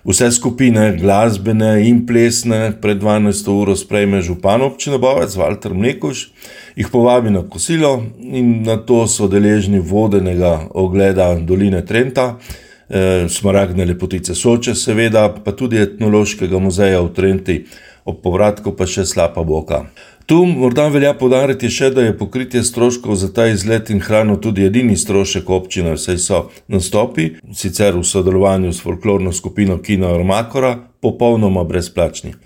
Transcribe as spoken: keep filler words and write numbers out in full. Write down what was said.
Vse skupine, glasbene in plesne, pred dvanajsto uro sprejme župan občine Bovec, Valter Mlekuž, jih povabi na kosilo in nato so deležni vodenega ogleda doline Trenta, smaragdne lepotice Soče seveda, pa tudi etnološkega muzeja v Trenti, ob povratku pa še Slapa Boka. Tu morda velja poudariti še, da je pokritje stroškov za ta izlet in hrano tudi edini strošek občine, saj so nastopi, sicer v sodelovanju s folklorno skupino Kino Armakora, popolnoma brezplačni.